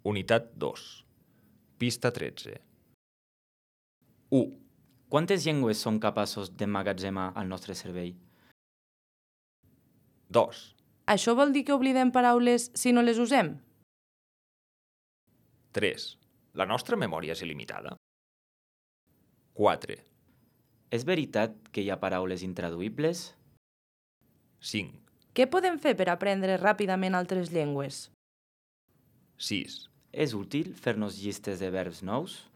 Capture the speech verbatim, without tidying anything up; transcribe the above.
Unitat dos. Pista tretze. u. Quantes llengües som capaços d'emmagatzemar al nostre cervell? dos. Això vol dir que oblidem paraules si no les usem? tres. La nostra memòria és il·limitada? quatre. És veritat que hi ha paraules intraduïbles? cinc. Què podem fer per aprendre ràpidament altres llengües? sis. És útil fer-nos llistes de verbs nous?